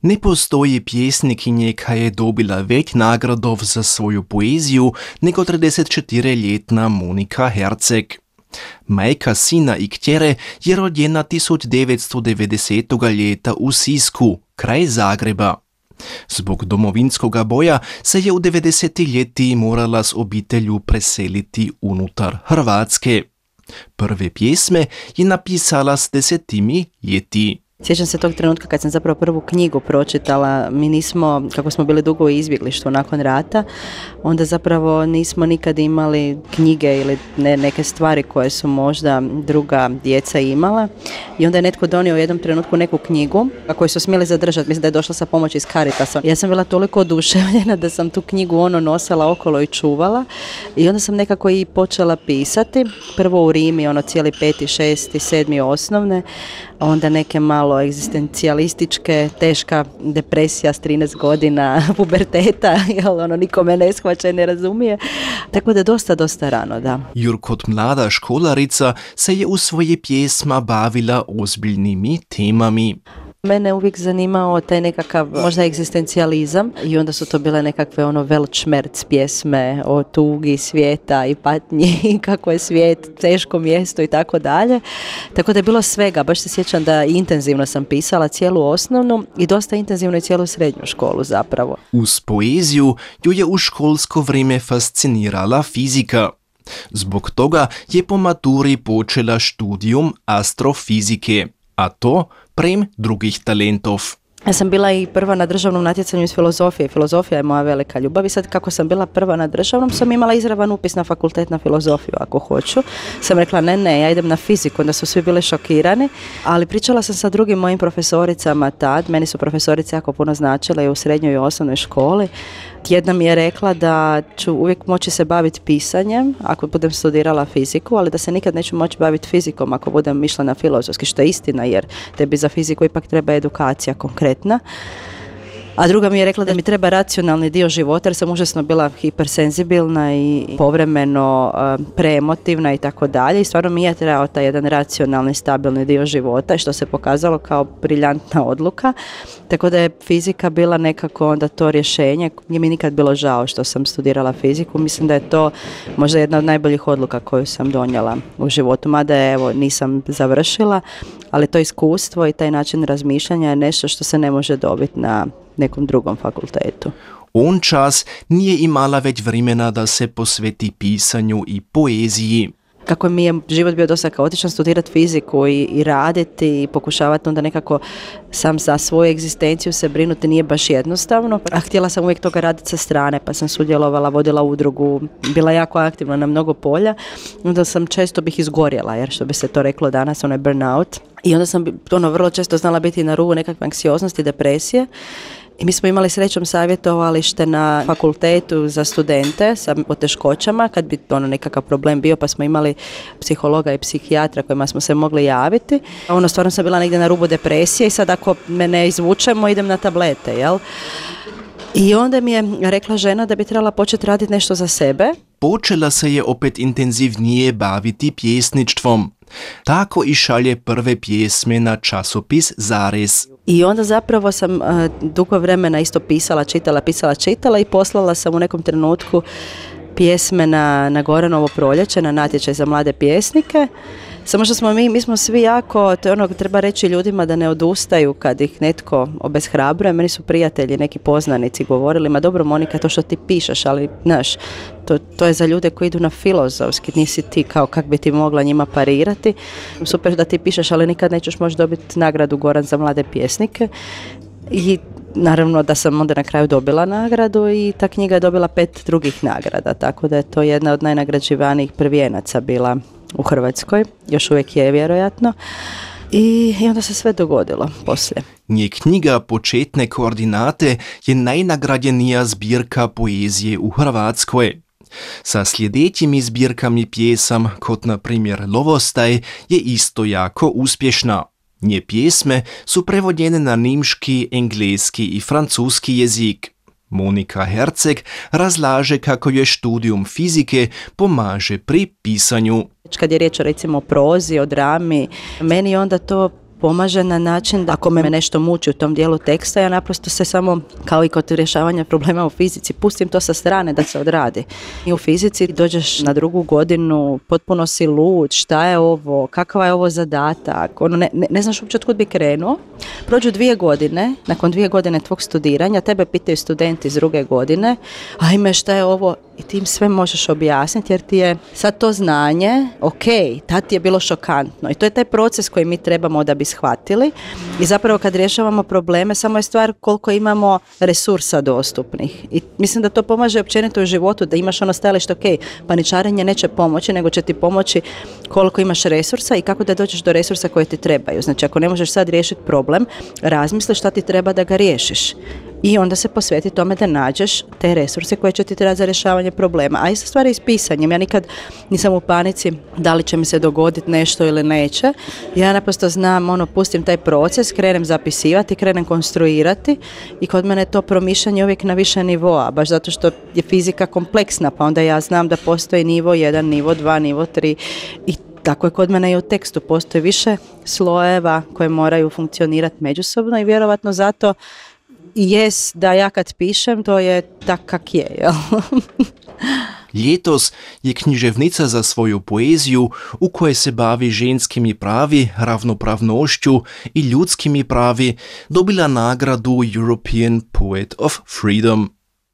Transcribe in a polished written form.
Ne postoji pjesnikinje koja je dobila več nagradov za svoju poeziju nego 34-ljetna Monika Herceg. Majka sina i kćere je rođena 1990. ljeta u Sisku, kraj Zagreba. Zbog domovinskoga boja se je u 90. ljeti morala s obitelju preseliti unutar Hrvatske. Prve pjesme je napisala s 10 ljeti. Sjećam se tog trenutka kad sam zapravo prvu knjigu pročitala. Mi nismo, kako smo bili dugo u izbjeglištvu nakon rata, onda zapravo nismo nikad imali knjige ili neke stvari koje su možda druga djeca imala. I onda je netko donio u jednom trenutku neku knjigu koju su smjeli zadržati. Mislim da je došla sa pomoći iz Caritasa. Ja sam bila toliko oduševljena da sam tu knjigu nosila okolo i čuvala. I onda sam nekako i počela pisati. Prvo u Rimi, cijeli 5., 6., 7. osnovne. Onda neke malo egzistencijalističke, teška depresija s 13 godina, puberteta, jer nikome ne shvaća i ne razumije. Tako da dosta rano, da. Jur kot mlada školarica se je u svoje pjesma bavila ozbiljnimi temami. Mene uvijek zanimao taj nekakav možda egzistencijalizam i onda su to bile nekakve Weltschmerz pjesme o tugi svijeta i patnji i kako je svijet teško mjesto i tako dalje. Tako da je bilo svega. Baš se sjećam da intenzivno sam pisala cijelu osnovnu i dosta intenzivno i cijelu srednju školu zapravo. Uz poeziju ju je u školsko vrijeme fascinirala fizika. Zbog toga je po maturi počela študijum astrofizike, a to prem drugih talentov. Ja sam bila i prva na državnom natjecanju iz filozofije. Filozofija je moja velika ljubav i sad kako sam bila prva na državnom sam imala izravan upis na fakultet na filozofiju ako hoću. Sam rekla ne, ja idem na fiziku, onda su svi bili šokirani, ali pričala sam sa drugim mojim profesoricama tad, meni su profesorice jako puno značile i u srednjoj i osnovnoj školi. Jedna mi je rekla da ću uvijek moći se baviti pisanjem ako budem studirala fiziku, ali da se nikad neću moći baviti fizikom ako budem išla na filozofski, što je istina jer tebi za fiziku ipak treba edukacija konkretna. A druga mi je rekla da mi treba racionalni dio života jer sam užasno bila hipersenzibilna i povremeno preemotivna i tako dalje i stvarno mi je trebao taj jedan racionalni, stabilni dio života što se pokazalo kao briljantna odluka. Tako da je fizika bila nekako onda to rješenje. Nije mi nikad bilo žao što sam studirala fiziku. Mislim da je to možda jedna od najboljih odluka koju sam donijela u životu. Mada je, nisam završila, ali to iskustvo i taj način razmišljanja je nešto što se ne može dobiti na nekom drugom fakultetu. On čas nije imala već vremena da se posveti pisanju i poeziji. Kako mi je život bio dosta kaotičan, studirati fiziku i raditi i pokušavati onda nekako sam za svoju egzistenciju se brinuti nije baš jednostavno. A htjela sam uvijek toga raditi sa strane, pa sam sudjelovala, vodila udrugu, bila jako aktivna na mnogo polja. Onda sam često bih izgorjela, jer što bi se to reklo danas, burnout. I onda sam vrlo često znala biti na rubu nekakve anksioznosti, depresije. I mi smo imali srećom savjetovalište na fakultetu za studente sa poteškoćama kad bi nekakav problem bio, pa smo imali psihologa i psihijatra kojima smo se mogli javiti. Stvarno sam bila negdje na rubu depresije i sad ako me ne izvučemo idem na tablete, jel? I onda mi je rekla žena da bi trebala početi raditi nešto za sebe. Počela se je opet intenzivnije baviti pjesništvom. Tako i šalje prve pjesme na časopis Zarez. I onda zapravo sam dugo vremena isto pisala, čitala i poslala sam u nekom trenutku pjesme na Goranovo proljeće, na natječaj za mlade pjesnike. Samo što mi smo svi jako, to je treba reći ljudima da ne odustaju kad ih netko obeshrabruje. Meni su prijatelji, neki poznanici govorili, ma dobro Monika, to što ti pišeš, ali znaš, to je za ljude koji idu na filozofski, nisi ti kao kak bi ti mogla njima parirati. Super da ti pišeš, ali nikad nećeš moći dobiti nagradu Goran za mlade pjesnike. I naravno da sam onda na kraju dobila nagradu i ta knjiga je dobila 5 drugih nagrada, tako da je to jedna od najnagrađivanijih prvijenaca bila u Hrvatskoj, još uvijek je vjerojatno. I onda se sve dogodilo poslije. Nje knjiga Početne koordinate je najnagrađenija zbirka poezije u Hrvatskoj. Sa sljedećimi zbirkami pjesam, kot na primjer Lovostaj, je isto jako uspješna. Nje pjesme su prevođene na nemški, engleski i francuski jezik. Monika Herceg razlaže kako je študijum fizike pomaže pri pisanju. Kad je riječ recimo o prozi, o drami, meni onda to pomaže na način da ako me nešto muči u tom dijelu teksta, ja naprosto se samo, kao i kod rješavanja problema u fizici, pustim to sa strane da se odradi. I u fizici dođeš na 2. godinu, potpuno si lud, šta je ovo, kakva je ovo zadatak, ne znaš uopće otkud bi krenuo. Prođu 2 godine, nakon 2 godine tvog studiranja, tebe pitaju studenti iz 2. godine, ajme šta je ovo, i ti im sve možeš objasniti jer ti je sad to znanje, ok, tad ti je bilo šokantno i to je taj proces koji mi trebamo da bi shvatili i zapravo kad rješavamo probleme samo je stvar koliko imamo resursa dostupnih i mislim da to pomaže općenito u životu, da imaš ono stajalište, ok, paničarenje neće pomoći, nego će ti pomoći koliko imaš resursa i kako da dođeš do resursa koje ti trebaju. Znači ako ne možeš sad riješiti problem, razmisli šta ti treba da ga riješiš. I onda se posveti tome da nađeš te resurse koje će ti trebati za rješavanje problema. A isto stvari s pisanjem. Ja nikad nisam u panici da li će mi se dogoditi nešto ili neće. Ja naprosto znam, pustim taj proces, krenem zapisivati, krenem konstruirati i kod mene je to promišljanje uvijek na više nivoa, baš zato što je fizika kompleksna, pa onda ja znam da postoji nivo 1, nivo 2, nivo 3 i tako je kod mene i u tekstu. Postoji više slojeva koje moraju funkcionirati međusobno i vjerovatno zato jest da ja kad pišem, to je tak kak je, jel? Ljetos je književnica za svoju poeziju u kojoj se bavi ženskimi pravi, ravnopravnošću i ljudskimi pravi dobila nagradu European Poet of Freedom.